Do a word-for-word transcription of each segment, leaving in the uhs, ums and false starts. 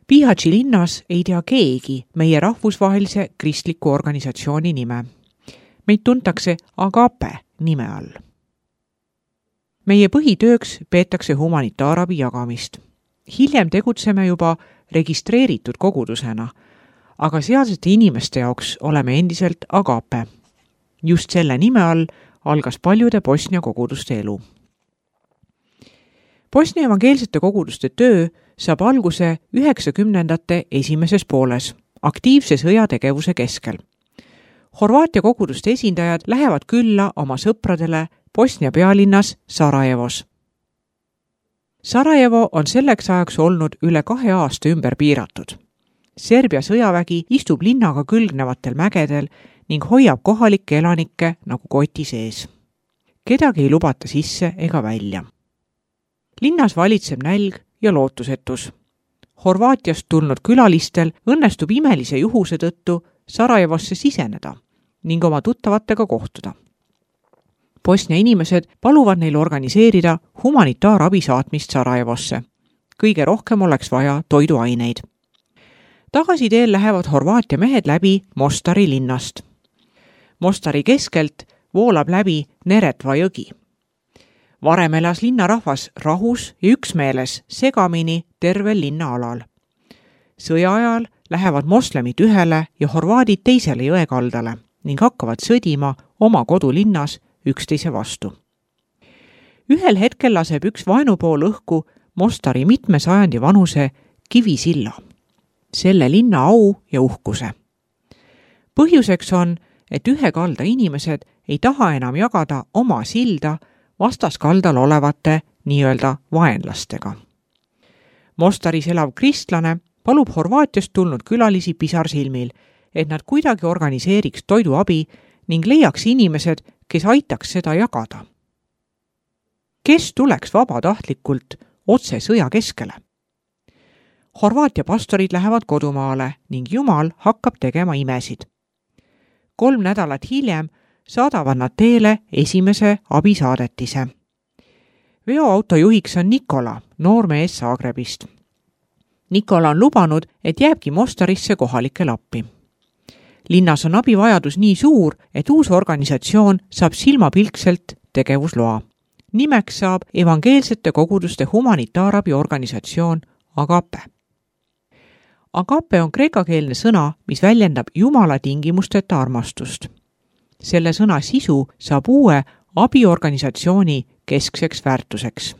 Bihać linnas ei tea keegi meie rahvusvahelise kristliku organisatsiooni nime. Meid tuntakse Agape nime all. Meie põhitööks peetakse humanitaarabi jagamist. Hiljem tegutseme juba registreeritud kogudusena, aga sealsete inimeste jaoks oleme endiselt Agape. Just selle nime all algas paljude Bosnia koguduste elu. Bosnia evangeelsete koguduste töö saab alguse üheksakümnendate esimeses pooles, aktiivse sõjategevuse keskel. Horvaatia koguduste esindajad lähevad külla oma sõpradele Bosnia pealinnas Sarajevos. Sarajevo on selleks ajaks olnud üle kahe aasta ümber piiratud. Serbia sõjavägi istub linnaga külgnevatel mägedel ning hoiab kohalikke elanikke nagu koti sees. Kedagi ei lubata sisse ega välja. Linnas valitseb nälg ja lootusetus. Horvaatiast tulnud külalistel õnnestub imelise juhuse tõttu Sarajevosse siseneda ning oma tuttavatega kohtuda. Bosnia inimesed paluvad neil organiseerida humanitaarabi saatmist Sarajevosse. Kõige rohkem oleks vaja toiduaineid. Tagasi teel lähevad Horvaatia mehed läbi Mostari linnast. Mostari keskelt voolab läbi Neretva jõgi. Varem elas linnarahvas rahus ja üksmeeles segamini tervel linna alal. Sõja ajal lähevad moslemid ühele ja horvaadid teisele jõekaldale ning hakkavad sõdima oma kodulinnas üksteise vastu. Ühel hetkel laseb üks vaenupool õhku Mostari mitme sajandi vanuse kivisilla, selle linna au ja uhkuse. Põhjuseks on, et ühe kalda inimesed ei taha enam jagada oma silda vastaskaldal olevate nii-öelda vaenlastega. Mostaris elav kristlane palub Horvaatiast tulnud külalisi pisarsilmil, et nad kuidagi organiseeriks toiduabi ning leiaks inimesed, kes aitaks seda jagada. Kes tuleks vabatahtlikult otse sõja keskele? Horvaatia pastorid lähevad kodumaale ning Jumal hakkab tegema imesid. Kolm nädalat hiljem saadavad nad teele esimese abisaadetise. Veoauto juhiks on Nikola, noormees Zagrebist. Nikola on lubanud, et jääbki Mostarisse kohalikel appi. Linnas on abivajadus nii suur, et uus organisatsioon saab silmapilkselt tegevusloa. Nimeks saab evangeelsete koguduste humanitaarabi organisatsioon Agape. Agape on kreekakeelne sõna, mis väljendab Jumala tingimusteta armastust. Selle sõna sisu saab uue abiorganisatsiooni keskseks väärtuseks.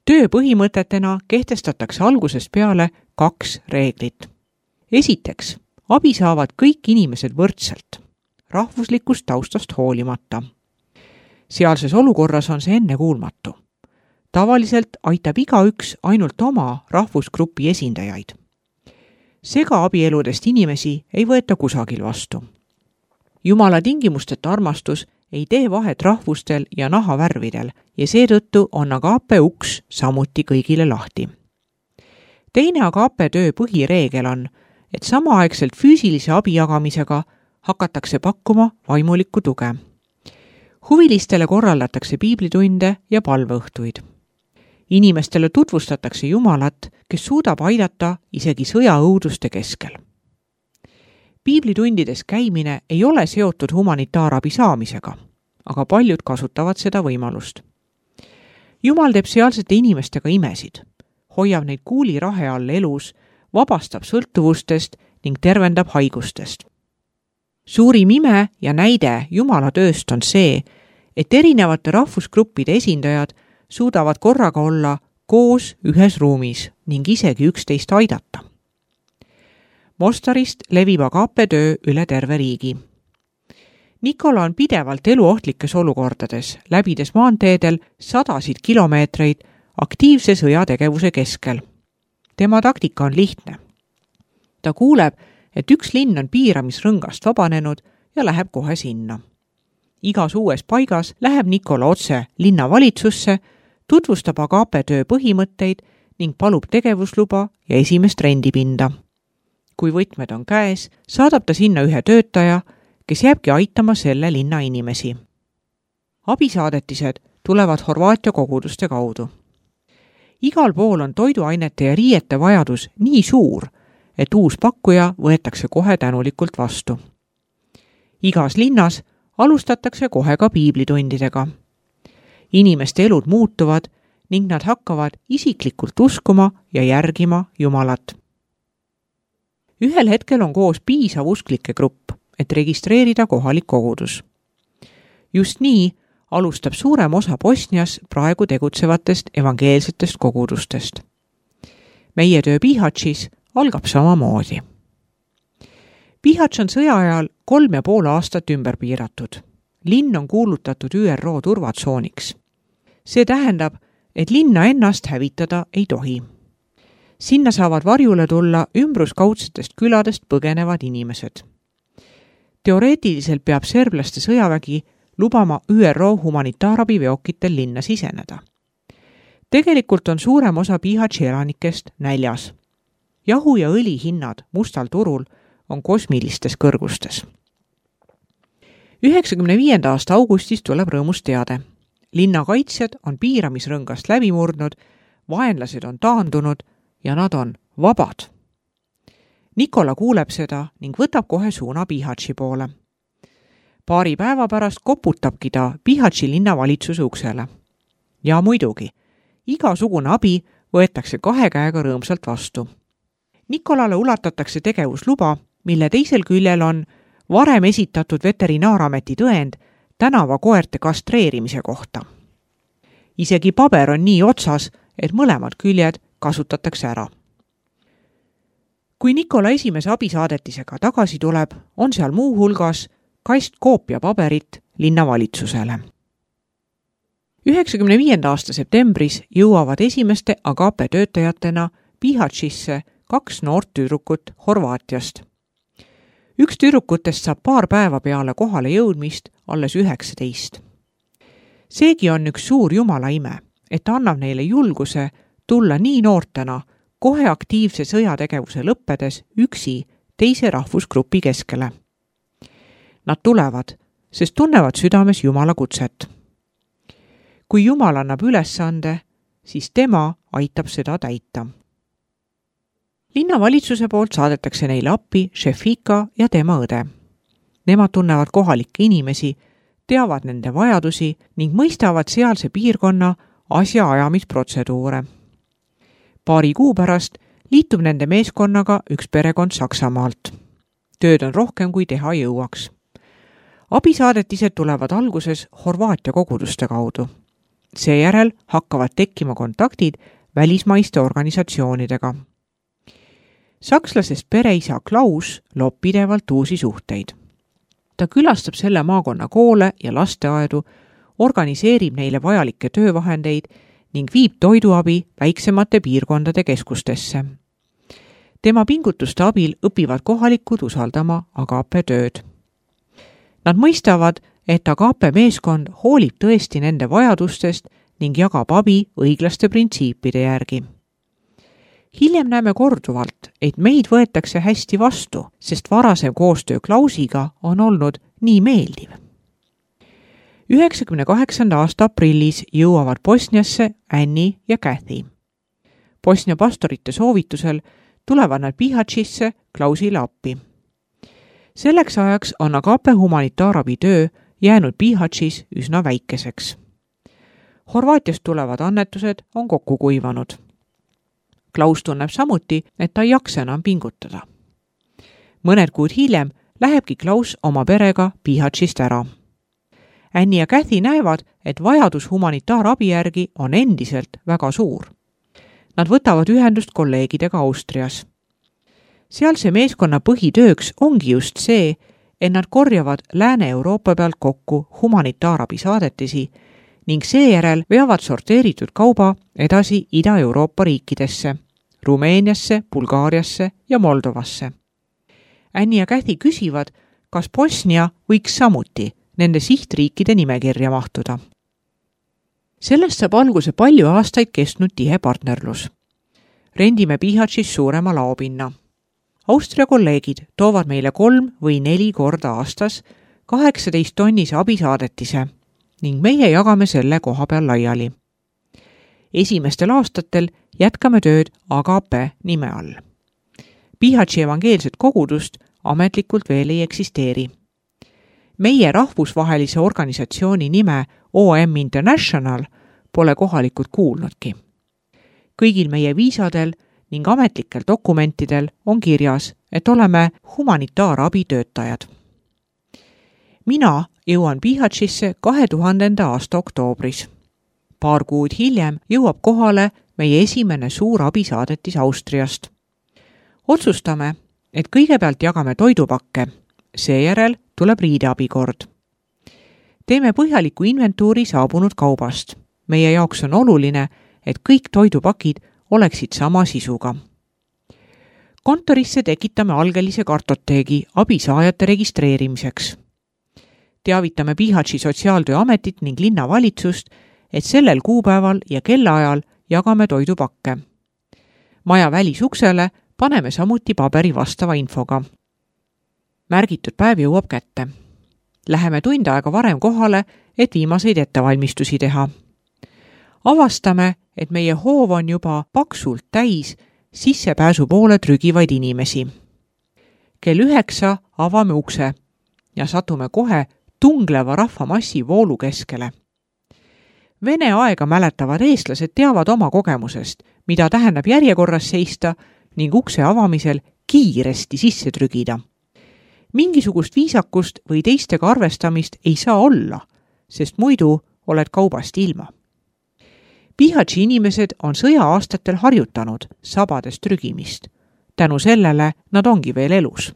Töö põhimõtetena kehtestatakse algusest peale kaks reeglit. Esiteks, abi saavad kõik inimesed võrdselt, rahvuslikust taustast hoolimata. Sealses olukorras on see ennekuulmatu. Tavaliselt aitab igaüks ainult oma rahvusgrupi esindajaid. Sega abieludest inimesi ei võeta kusagil vastu. Jumala tingimusteta armastus ei tee vahet rahvustel ja nahavärvidel ja seetõttu on Agape uks samuti kõigile lahti. Teine Agape töö põhireegel on, et samaaegselt füüsilise abi jagamisega hakatakse pakkuma vaimulikku tuge. Huvilistele korraldatakse piiblitunde ja palveõhtuid. Inimestele tutvustatakse Jumalat, kes suudab aidata isegi sõjaõuduste keskel. Piiblitundides käimine ei ole seotud humanitaarabi saamisega, aga paljud kasutavad seda võimalust. Jumal teeb sealsete inimestega imesid, hoiab neid kuulirahe all elus, vabastab sõltuvustest ning tervendab haigustest. Suurim ime ja näide Jumala tööst on see, et erinevate rahvusgruppide esindajad suudavad korraga olla koos ühes ruumis ning isegi üksteist aidata. Mostarist levib Agape töö üle terve riigi. Nikola on pidevalt eluohtlikes olukordades, läbides maanteedel sadasid kilomeetreid aktiivse sõjategevuse keskel. Tema taktika on lihtne. Ta kuuleb, et üks linn on piiramisrõngast vabanenud ja läheb kohe sinna. Igas uues paigas läheb Nikola otse linnavalitsusse, tutvustab Agape töö põhimõtteid ning palub tegevusluba ja esimest rendipinda. Kui võtmed on käes, saadab ta sinna ühe töötaja, kes jääbki aitama selle linna inimesi. Abisaadetised tulevad Horvaatia koguduste kaudu. igal pool on toiduainete ja riiete vajadus nii suur, et uus pakkuja võetakse kohe tänulikult vastu. Igas linnas alustatakse kohe ka piiblitundidega. Inimeste elud muutuvad ning nad hakkavad isiklikult uskuma ja järgima Jumalat. Ühel hetkel on koos piisav usklike grupp, et registreerida kohalik kogudus. Just nii alustab suurem osa Bosnias praegu tegutsevatest evangeelsetest kogudustest. Meie töö Bihaćis algab samamoodi. Bihać on sõja ajal kolm ja pool aastat ümber piiratud. Linn on kuulutatud Ü R O turvatsooniks. See tähendab, et linna ennast hävitada ei tohi. Sinna saavad varjule tulla ümbruskaudsetest küladest põgenevad inimesed. Teoreetiliselt peab serblaste sõjavägi lubama Ü R O humanitaarabiveokitel linna siseneda. Tegelikult on suurem osa Bihaći elanikest näljas. Jahu ja õli hinnad mustal turul on kosmilistes kõrgustes. üheksakümne viienda aasta augustis tuleb rõõmus teade. Linna kaitsjad on piiramisrõngast läbi murdnud, vaenlased on taandunud ja nad on vabad. Nikola kuuleb seda ning võtab kohe suuna Bihaći poole. Paari päeva pärast koputabki ta Bihaći linnavalitsuse uksele. Ja muidugi, igasugune abi võetakse kahe käega rõõmsalt vastu. Nikolale ulatatakse tegevusluba, mille teisel küljel on varem esitatud veterinaarameti tõend tänavakoerte kastreerimise kohta. Isegi paber on nii otsas, et mõlemad küljed kasutatakse ära. Kui Nikola esimese abisaadetisega tagasi tuleb, on seal muu hulgas kast koopia paberit linnavalitsusele. üheksakümne viienda aasta septembris jõuavad esimeste Agape töötajatena Bihaćisse kaks noort tüdrukut Horvaatiast. Üks tüdrukutest saab paar päeva peale kohale jõudmist alles üheksateist. Seegi on üks suur Jumala ime, et annab neile julguse tulla nii noortena kohe aktiivse sõjategevuse lõppedes üksi teise rahvusgrupi keskele. Nad tulevad, sest tunnevad südames Jumala kutset. Kui Jumal annab ülesande, siis tema aitab seda täita. Linnavalitsuse poolt saadetakse neile appi Šefika ja tema õde. Nemad tunnevad kohalikke inimesi, teavad nende vajadusi ning mõistavad sealse piirkonna asjaajamisprotseduure. Paari kuu pärast liitub nende meeskonnaga üks perekond Saksamaalt. Tööd on rohkem kui teha jõuaks. Abisaadetised tulevad alguses Horvaatia koguduste kaudu. Seejärel hakkavad tekkima kontaktid välismaiste organisatsioonidega. Sakslasest pereisa Klaus loob pidevalt uusi suhteid. Ta külastab selle maakonna koole ja lasteaedu, organiseerib neile vajalikke töövahendeid ning viib toiduabi väiksemate piirkondade keskustesse. Tema pingutuste abil õpivad kohalikud usaldama Agape tööd. Nad mõistavad, et Agape meeskond hoolib tõesti nende vajadustest ning jagab abi õiglaste printsiipide järgi. Hiljem näeme korduvalt, et meid võetakse hästi vastu, sest varasem koostöö Klausiga on olnud nii meeldiv. üheksakümne kaheksanda aasta aprillis jõuavad Bosniasse Annie ja Kathy. Bosnia pastorite soovitusel tulevad nad Bihaćisse Klausile appi. Selleks ajaks on Agape humanitaarabi töö jäänud Bihaćis üsna väikeseks. Horvaatiast tulevad annetused on kokku kuivanud. Klaus tunneb samuti, et ta ei jaksa enam pingutada. Mõned kuud hiljem lähebki Klaus oma perega Bihaćist ära. Annie ja Kathy näevad, et vajadus humanitaarabi järgi on endiselt väga suur. Nad võtavad ühendust kolleegidega Austrias. Sealse meeskonna põhitööks ongi just see, et nad korjavad Lääne-Euroopa pealt kokku humanitaarabi saadetisi ning seejärel veavad sorteeritud kauba edasi Ida-Euroopa riikidesse, Rumeeniasse, Bulgaariasse ja Moldovasse. Annie ja Kathy küsivad, kas Bosnia võiks samuti nende sihtriikide nimekirja mahtuda. Sellest saab alguse palju aastaid kestnud tihe partnerlus. Rendime Bihaćis suurema laopinna. Austria kolleegid toovad meile kolm või neli korda aastas kaheksateist tonnise abisaadetise ning meie jagame selle koha peal laiali. Esimestel aastatel jätkame tööd Agape nime all. Pihatši evangeelset kogudust ametlikult veel ei eksisteeri. Meie rahvusvahelise organisatsiooni nime O M International pole kohalikud kuulnudki. Kõigil meie viisadel ning ametlikel dokumentidel on kirjas, et oleme humanitaarabitöötajad. Mina jõuan Pihatšisse kahe tuhandenda aasta oktoobris. Paar kuud hiljem jõuab kohale meie esimene suur abisaadetis Austriast. Otsustame, et kõigepealt jagame toidupakke, seejärel tuleb riideabikord. Teeme põhjaliku inventuuri saabunud kaubast. Meie jaoks on oluline, et kõik toidupakid oleksid sama sisuga. Kontorisse tekitame algelise kartoteegi abisaajate registreerimiseks. Teavitame Pihatši sotsiaaltööametit ning linnavalitsust, et sellel kuupäeval ja kellaajal jagame toidupakke. Maja välisuksele paneme samuti paberi vastava infoga. Märgitud päev jõuab kätte. Läheme tund aega varem kohale, et viimaseid ettevalmistusi teha. Avastame, et meie hoov on juba paksult täis sissepääsu poole trügivaid inimesi. Kell üheksa avame ukse ja satume kohe tungleva rahvamassi voolu keskele. Vene aega mäletavad eestlased teavad oma kogemusest, mida tähendab järjekorras seista ning ukse avamisel kiiresti sisse trügida. Mingisugust viisakust või teistega arvestamist ei saa olla, sest muidu oled kaubast ilma. Pihatši inimesed on sõja-aastatel harjutanud sabades trügimist. Tänu sellele nad ongi veel elus.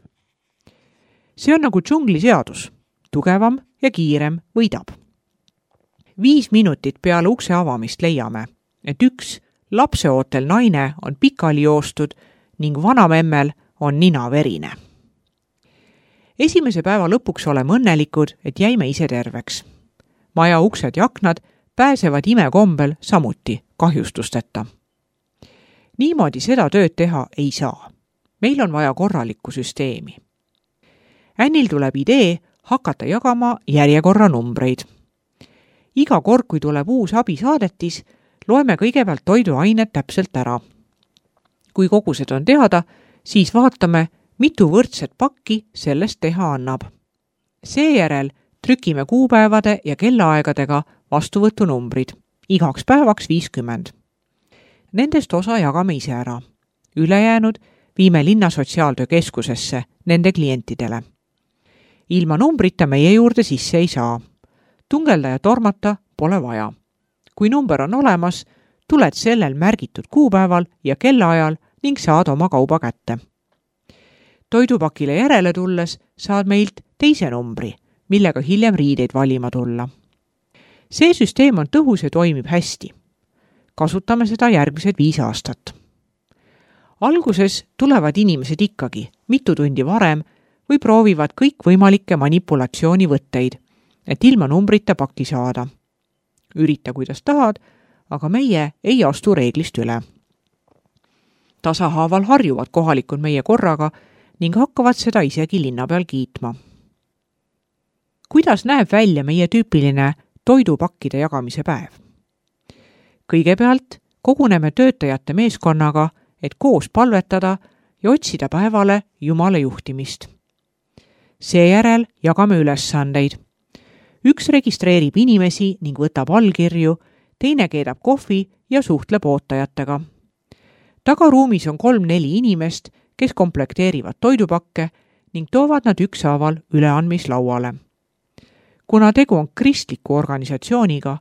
See on nagu džungli seadus. Tugevam ja kiirem võidab. Viis minutit peale ukse avamist leiame, et üks lapseootel naine on pikali joostud ning vanamemmel on nina verine. Esimese päeva lõpuks oleme õnnelikud, et jäime ise terveks. Maja uksed ja aknad pääsevad imekombel samuti kahjustusteta. Niimoodi seda tööd teha ei saa. Meil on vaja korralikku süsteemi. Ännil tuleb idee hakata jagama järjekorra numbreid. Iga kord, kui tuleb uus abisaadetis, loeme kõigepealt toiduained täpselt ära. Kui kogused on teada, siis vaatame, mitu võrdset pakki sellest teha annab. Seejärel trükime kuupäevade ja kellaaegadega vastuvõtunumbrid, igaks päevaks viiskümmend. Nendest osa jagame ise ära. Ülejäänud viime linna sotsiaaltöökeskusesse nende klientidele. Ilma numbrita meie juurde sisse ei saa. Tungelda ja tormata pole vaja. Kui number on olemas, tuled sellel märgitud kuupäeval ja kellaajal ning saad oma kauba kätte. Toidupakile järele tulles saad meilt teise numbri, millega hiljem riideid valima tulla. See süsteem on tõhus ja toimib hästi. Kasutame seda järgmised viis aastat. Alguses tulevad inimesed ikkagi mitu tundi varem või proovivad kõik võimalikke manipulatsioonivõtteid, et ilma numbrita pakki saada. Ürita, kuidas tahad, aga meie ei astu reeglist üle. Tasahaaval harjuvad kohalikud meie korraga ning hakkavad seda isegi linna peal kiitma. Kuidas näeb välja meie tüüpiline toidupakkide jagamise päev? Kõigepealt koguneme töötajate meeskonnaga, et koos palvetada ja otsida päevale Jumala juhtimist. Seejärel jagame ülesandeid. Üks registreerib inimesi ning võtab allkirju, teine keedab kohvi ja suhtleb ootajatega. Tagaruumis on kolm-neli inimest, kes komplekteerivad toidupakke ning toovad nad ükshaaval üleandmislauale. Kuna tegu on kristliku organisatsiooniga,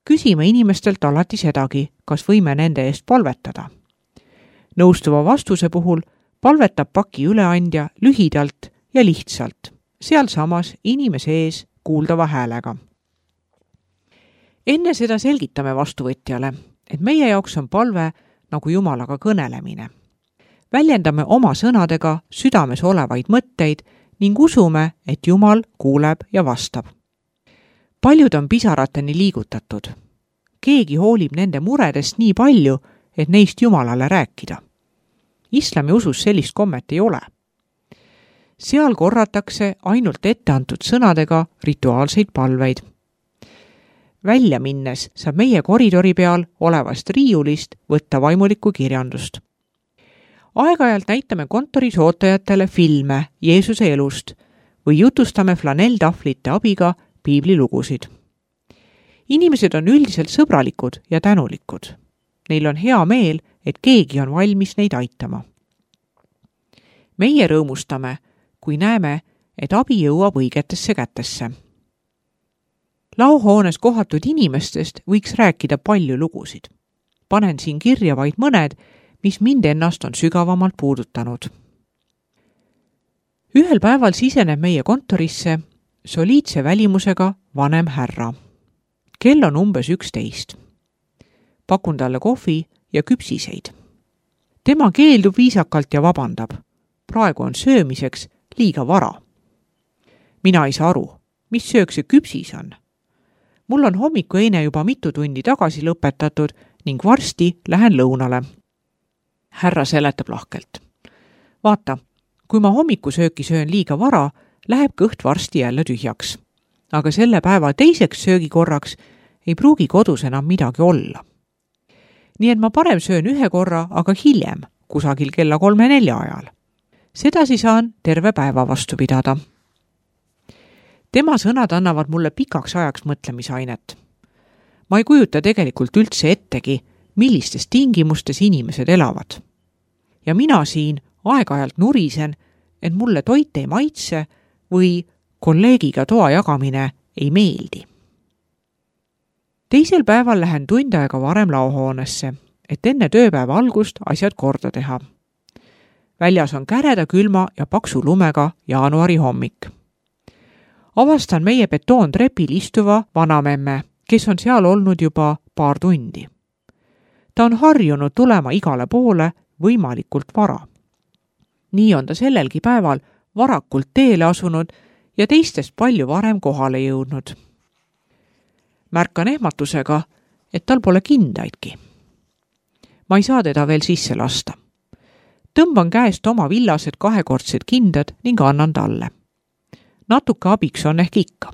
küsime inimestelt alati sedagi, kas võime nende eest palvetada. Nõustuva vastuse puhul palvetab paki üleandja lühidalt ja lihtsalt, sealsamas inimese ees kuuldava häälega. Enne seda selgitame vastuvõtjale, et meie jaoks on palve nagu Jumalaga kõnelemine. Väljendame oma sõnadega südames olevaid mõtteid ning usume, et Jumal kuuleb ja vastab. Paljud on pisarateni liigutatud. Keegi hoolib nende muredest nii palju, et neist Jumalale rääkida. Islami usus sellist kommet ei ole. Seal korratakse ainult etteantud sõnadega rituaalseid palveid. välja minnes saab meie koridori peal olevast riiulist võtta vaimulikku kirjandust. Aeg-ajalt näitame kontoris ootajatele filme Jeesuse elust või jutustame flanelltahvlite abiga piiblilugusid. Inimesed on üldiselt sõbralikud ja tänulikud. Neil on hea meel, et keegi on valmis neid aitama. Meie rõõmustame, kui näeme, et abi jõuab õigetesse kätesse. Laohoones kohatud inimestest võiks rääkida palju lugusid. Panen siin kirja vaid mõned, mis mind ennast on sügavamalt puudutanud. Ühel päeval siseneb meie kontorisse soliidse välimusega vanem härra. Kell on umbes üksteist. Pakun talle kohvi ja küpsiseid. Tema keeldub viisakalt ja vabandab. Praegu on söömiseks liiga vara. Mina ei saa aru, mis söök see küpsis on. Mul on hommikueine juba mitu tundi tagasi lõpetatud ning varsti lähen lõunale. Härra seletab lahkelt. Vaata, kui ma hommikusööki söön liiga vara, läheb kõht varsti jälle tühjaks. Aga selle päeva teiseks söögikorraks ei pruugi kodus enam midagi olla. Nii et ma parem söön ühe korra, aga hiljem, kusagil kella kolme nelja ajal. Sedasi saan terve päeva vastu pidada. Tema sõnad annavad mulle pikaks ajaks mõtlemisainet. Ma ei kujuta tegelikult üldse ettegi, millistes tingimustes inimesed elavad. Ja mina siin aeg-ajalt nurisen, et mulle toit ei maitse või kolleegiga toa jagamine ei meeldi. Teisel päeval lähen tund aega varem laohoonesse, et enne tööpäeva algust asjad korda teha. Väljas on käreda külma ja paksu lumega jaanuari hommik. Avastan meie betoontrepil istuva vanamemme, kes on seal olnud juba paar tundi. Ta on harjunud tulema igale poole võimalikult vara. Nii on ta sellelgi päeval varakult teele asunud ja teistest palju varem kohale jõudnud. Märkan ehmatusega, et tal pole kindaidki. Ma ei saa teda veel sisse lasta. Tõmban käest oma villased kahekordsed kindad ning annan talle. Natuke abiks on ehk ikka.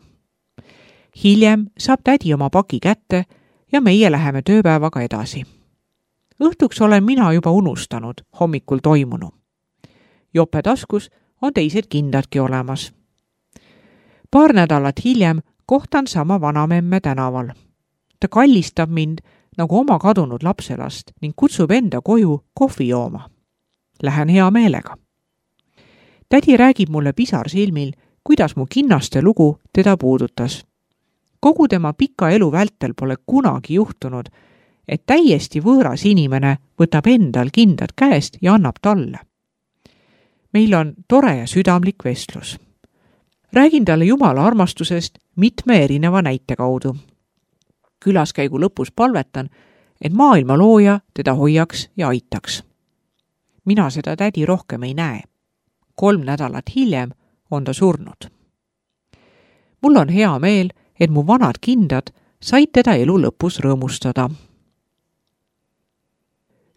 Hiljem saab tädi oma paki kätte ja meie läheme tööpäevaga edasi. Õhtuks olen mina juba unustanud hommikul toimunu. Jope taskus on teised kindadki olemas. Paar nädalat hiljem kohtan sama vanamemme tänaval. Ta kallistab mind nagu oma kadunud lapselast ning kutsub enda koju kohvi jooma. Lähen hea meelega. Tädi räägib mulle pisar silmil, kuidas mu kinnaste lugu teda puudutas. Kogu tema pika elu vältel pole kunagi juhtunud, et täiesti võõras inimene võtab endal kindad käest ja annab talle. Meil on tore ja südamlik vestlus. Räägin talle Jumala armastusest mitme erineva näite kaudu. Külaskäigu lõpus palvetan, et maailma looja teda hoiaks ja aitaks. Mina seda tädi rohkem ei näe. Kolm nädalat hiljem on ta surnud. Mul on hea meel, et mu vanad kindad said teda elu lõpus rõõmustada.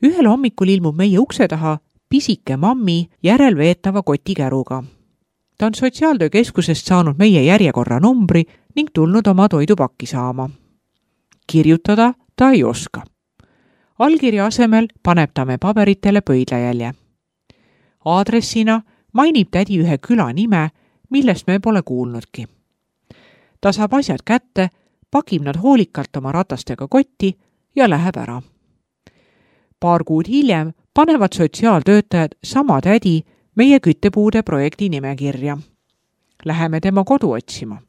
Ühel hommikul ilmub meie ukse taha pisike mammi järelveetava kotikäruga. Ta on sotsiaaltöökeskusest saanud meie järjekorra numbri ning tulnud oma toidupakki saama. Kirjutada ta ei oska. Allkirja asemel paneb ta me paberitele pöidlajälje. Aadressina mainib tädi ühe küla nime, millest me pole kuulnudki. Ta saab asjad kätte, pakib nad hoolikalt oma ratastega kotti ja läheb ära. Paar kuud hiljem panevad sotsiaaltöötajad sama tädi meie küttepuude projekti nimekirja. Läheme tema kodu otsima.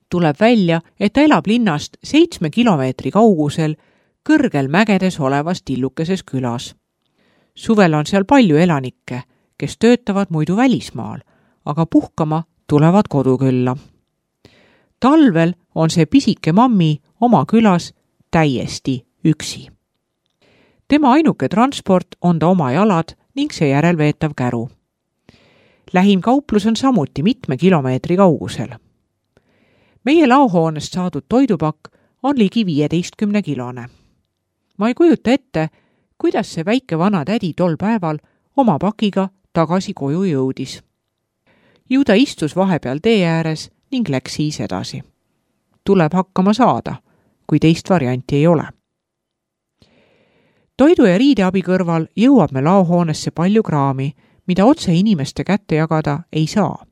Tuleb välja, et ta elab linnast seitsme kilomeetri kaugusel kõrgel mägedes olevas tillukeses külas. Suvel on seal palju elanikke, kes töötavad muidu välismaal, aga puhkama tulevad kodukülla. Talvel on see pisike mammi oma külas täiesti üksi. Tema ainuke transport on ta oma jalad ning seejärel veetav käru. Lähim kauplus on samuti mitme kilomeetri kaugusel. Meie laohoonest saadud toidupakk on ligi viieteistkümne kilone. Ma ei kujuta ette, kuidas see väike vana tädi tol päeval oma pakiga tagasi koju jõudis. Ju ta istus vahepeal tee ääres ning läks siis edasi. tuleb hakkama saada, kui teist varianti ei ole. Toidu ja riideabi kõrval jõuab me laohoonesse palju kraami, mida otse inimeste kätte jagada ei saa.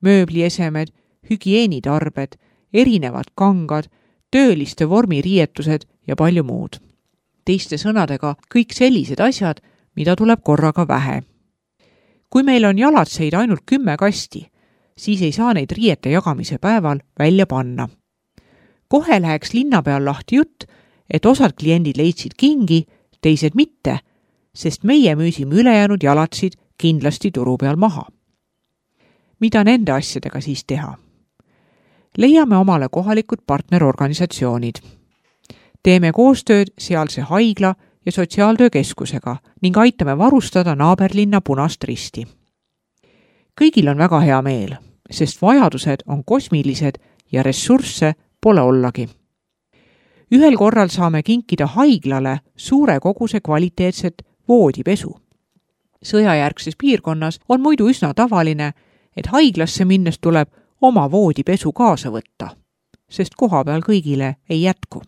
Mööbliesemed, hügieenitarbed, erinevad kangad, tööliste vormiriietused ja palju muud. Teiste sõnadega kõik sellised asjad, mida tuleb korraga vähe. Kui meil on jalatseid ainult kümme kasti, siis ei saa neid riiete jagamise päeval välja panna. Kohe läheks linna peal lahti jutt, et osad kliendid leidsid kingi, teised mitte, sest meie müüsime ülejäänud jalatsid kindlasti turu peal maha. Mida nende asjadega siis teha? Leiame omale kohalikud partnerorganisatsioonid. Teeme koostööd sealse haigla ja sotsiaaltöökeskusega ning aitame varustada naaberlinna Punast Risti. Kõigil on väga hea meel, sest vajadused on kosmilised ja ressursse pole ollagi. Ühel korral saame kinkida haiglale suure koguse kvaliteetset voodipesu. Sõjajärgses piirkonnas on muidu üsna tavaline, et haiglasse minnes tuleb oma voodipesu kaasa võtta, sest koha peal kõigile ei jätku.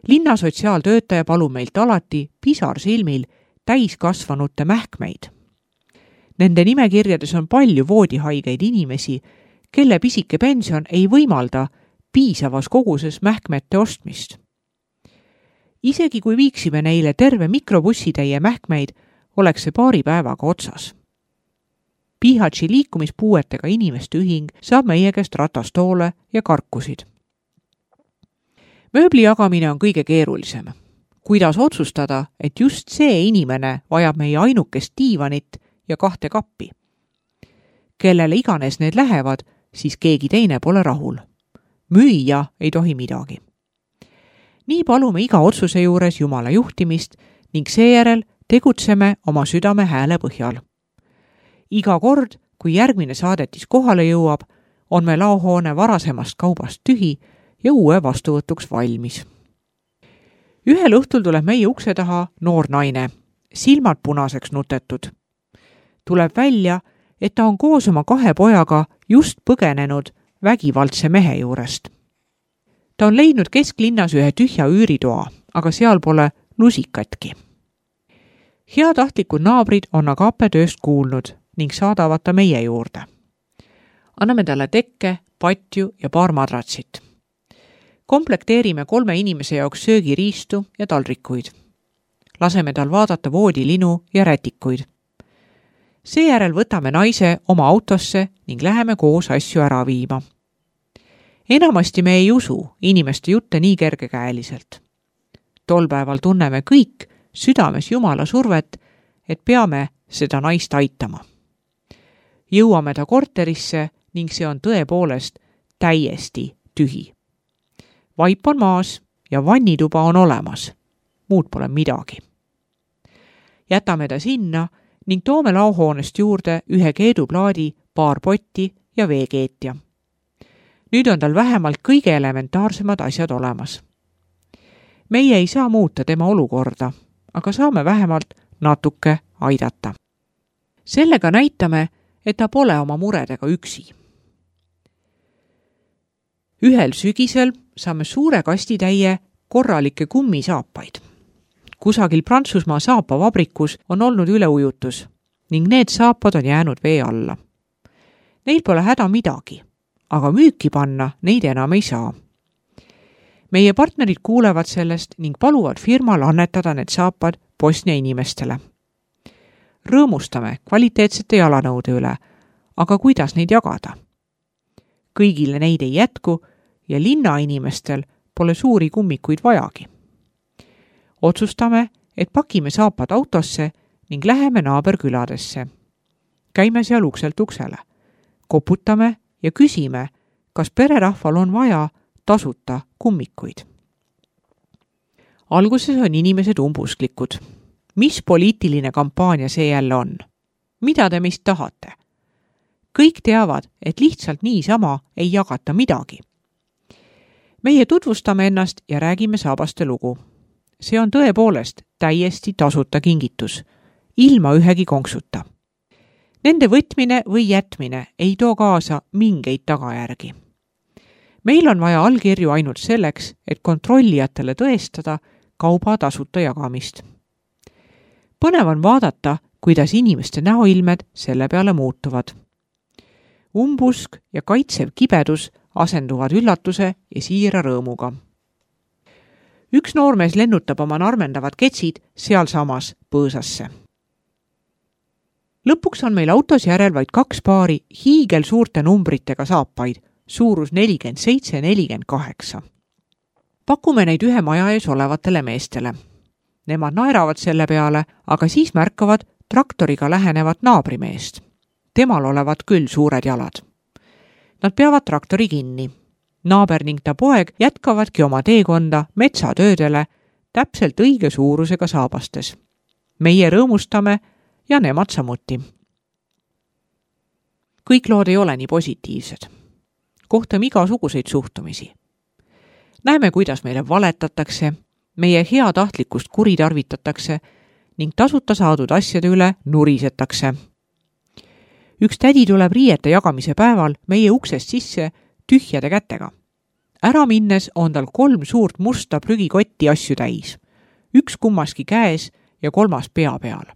Linna sotsiaaltöötaja palub meilt alati pisarsilmil täiskasvanute mähkmeid. Nende nimekirjades on palju voodihaigeid inimesi, kelle pisike pension ei võimalda piisavas koguses mähkmete ostmist. Isegi kui viiksime neile terve mikrobussitäie mähkmeid, oleks see paari päevaga otsas. Pihatši liikumispuuetega inimeste ühing saab meie käest ratastoole ja karkusid. Mööbli jagamine on kõige keerulisem. Kuidas otsustada, et just see inimene vajab meie ainukest diivanit ja kahte kappi? Kellele iganes need lähevad, siis keegi teine pole rahul. Müüja ei tohi midagi. Nii palume iga otsuse juures Jumala juhtimist ning seejärel tegutseme oma südame hääle põhjal. Iga kord, kui järgmine saadetis kohale jõuab, on me laohoone varasemast kaubast tühi ja uue vastuvõtuks valmis. Ühel õhtul tuleb meie ukse taha noor naine, silmad punaseks nutetud. Tuleb välja, et ta on koos oma kahe pojaga just põgenenud vägivaldse mehe juurest. Ta on leidnud kesklinnas ühe tühja üüritoa, aga seal pole lusikatki. Heatahtlikud naabrid on aga apetööst kuulnud ning saadavad ta meie juurde. Anname talle tekke, patju ja paar madratsit. Komplekteerime kolme inimese jaoks söögiriistu ja taldrikuid. Laseme tal vaadata voodilinu ja rätikuid. Seejärel võtame naise oma autosse ning läheme koos asju ära viima. Enamasti me ei usu inimeste jutte nii kergekäeliselt. Tol päeval tunneme kõik südames Jumala survet, et peame seda naist aitama. Jõuame ta korterisse ning see on tõepoolest täiesti tühi. Vaip on maas ja vannituba on olemas. Muud pole midagi. Jätame ta sinna ning toome laohoonest juurde ühe keeduplaadi, paar potti ja veekeetja. Nüüd on tal vähemalt kõige elementaarsemad asjad olemas. Meie ei saa muuta tema olukorda, aga saame vähemalt natuke aidata. Sellega näitame, et ta pole oma muredega üksi. Ühel sügisel saame suure kastitäie korralikke kummisaapaid. Kusagil Prantsusmaa saapavabrikus on olnud üleujutus ning need saapad on jäänud vee alla. Neil pole häda midagi, aga müüki panna neid enam ei saa. Meie partnerid kuulevad sellest ning paluvad firmal annetada need saapad Bosnia inimestele. Rõõmustame kvaliteetsete jalanõude üle, aga kuidas neid jagada? Kõigile neid ei jätku ja linna inimestel pole suuri kummikuid vajagi. Otsustame, et pakime saapad autosse ning läheme naaberküladesse. Käime seal ukselt uksele. Koputame ja küsime, kas pererahval on vaja tasuta kummikuid. Alguses on inimesed umbusklikud. Mis poliitiline kampaania see jälle on? Mida te meist tahate? Kõik teavad, et lihtsalt niisama ei jagata midagi. Meie tutvustame ennast ja räägime saabaste lugu. See on tõepoolest täiesti tasuta kingitus, ilma ühegi konksuta. Nende võtmine või jätmine ei too kaasa mingeid tagajärgi. meil on vaja allkirju ainult selleks, et kontrollijatele tõestada kauba tasuta jagamist. Põnev on vaadata, kuidas inimeste näoilmed selle peale muutuvad. Umbusk ja kaitsev kibedus asenduvad üllatuse ja siira rõõmuga. Üks noormees lennutab oma narmendavad ketsid sealsamas põõsasse. Lõpuks on meil autos järel vaid kaks paari hiigel suurte numbritega saapaid, suurus nelikümmend seitse ja nelikümmend kaheksa. Pakume neid ühe maja ees olevatele meestele. Nemad naeravad selle peale, aga siis märkavad traktoriga lähenevat naabrimeest. Temal olevat küll suured jalad. Nad peavad traktori kinni. Naaber ning ta poeg jätkavadki oma teekonda metsatöödele täpselt õige suurusega saabastes. Meie rõõmustame ja nemad samuti. Kõik lood ei ole nii positiivsed. Kohtame igasuguseid suhtumisi. Näeme, kuidas meile valetatakse, meie heatahtlikkust kuritarvitatakse ning tasuta saadud asjade üle nurisetakse. Üks tädi tuleb riiete jagamise päeval meie uksest sisse tühjade kätega. Ära minnes on tal kolm suurt musta prügikotti asju täis. Üks kummaski käes ja kolmas pea peal.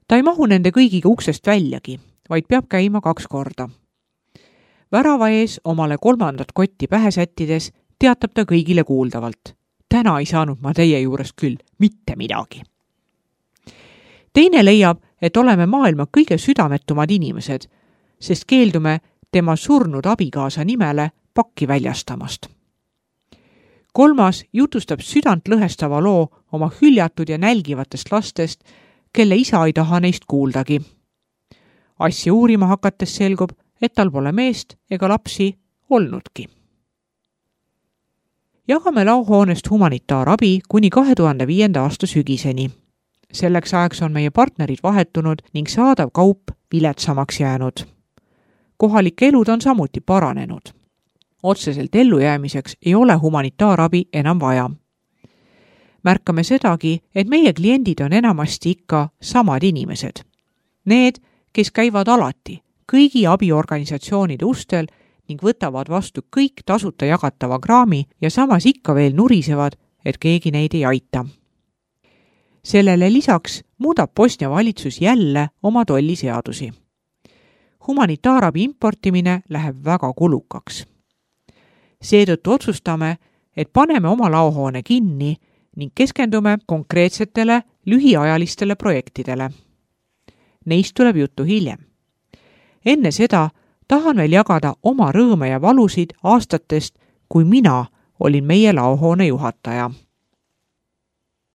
Ta ei mahu nende kõigiga uksest väljagi, vaid peab käima kaks korda. Värava ees omale kolmandat kotti pähe sättides teatab ta kõigile kuuldavalt. Täna ei saanud ma teie juurest küll mitte midagi. Teine leiab, et oleme maailma kõige südametumad inimesed, sest keeldume tema surnud abikaasa nimele pakki väljastamast. Kolmas jutustab südant lõhestava loo oma hüljatud ja nälgivatest lastest, kelle isa ei taha neist kuuldagi. Asja uurima hakates selgub, et tal pole meest ega lapsi olnudki. Jagame laohoonest humanitaarabi kuni kahe tuhande viienda aasta sügiseni. Selleks ajaks on meie partnerid vahetunud ning saadav kaup viletsamaks jäänud. Kohalike elud on samuti paranenud. Otseselt ellujäämiseks ei ole humanitaarabi enam vaja. Märkame sedagi, et meie kliendid on enamasti ikka samad inimesed. Need, kes käivad alati kõigi abiorganisatsioonide ustel ning võtavad vastu kõik tasuta jagatava kraami ja samas ikka veel nurisevad, et keegi neid ei aita. Sellele lisaks muudab Bosnia valitsus jälle oma tolliseadusi. Humanitaarabi importimine läheb väga kulukaks. Seetõttu otsustame, et paneme oma laohoone kinni ning keskendume konkreetsetele lühiajalistele projektidele. Neist tuleb juttu hiljem. Enne seda tahan veel jagada oma rõõme ja valusid aastatest, kui mina olin meie laohoone juhataja.